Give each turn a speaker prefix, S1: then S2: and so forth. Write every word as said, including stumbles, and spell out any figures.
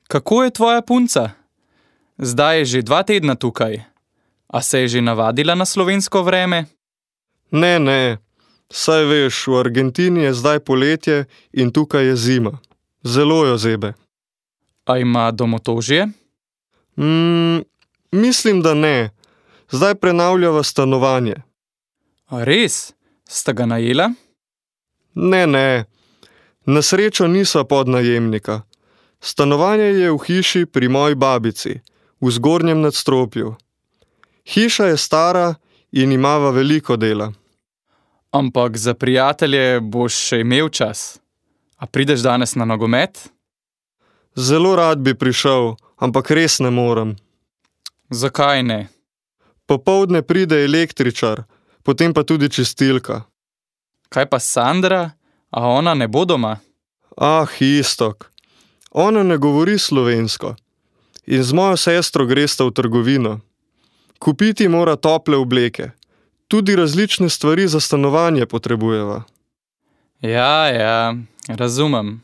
S1: Kako je tvoja punca? Zdaj je že dva tedna tukaj. A se je že navadila na slovensko vreme?
S2: Ne, ne. Saj veš, v Argentini je zdaj poletje in tukaj je zima. Zelo jo zebe.
S1: A ima domotožje?
S2: Mm, mislim, da ne. Zdaj prenavljava stanovanje.
S1: A res? Sta ga najela?
S2: Ne, ne. Na srečo nisva podnajemnika. Stanovanje je v hiši pri moji babici, v zgornjem nadstropju. Hiša je stara in imava veliko dela.
S1: Ampak za prijatelje boš še imel čas. A prideš danes na nogomet?
S2: Zelo rad bi prišel, ampak res ne morem.
S1: Zakaj ne?
S2: Popoldne pride električar, potem pa tudi čistilka.
S1: Kaj pa Sandra? A ona ne bo doma?
S2: Ah, Iztok. Ona ne govori slovensko. In z mojo sestro gresta v trgovino. Kupiti mora tople obleke. Tudi različne stvari za stanovanje potrebujeva.
S1: Ja, ja, razumem.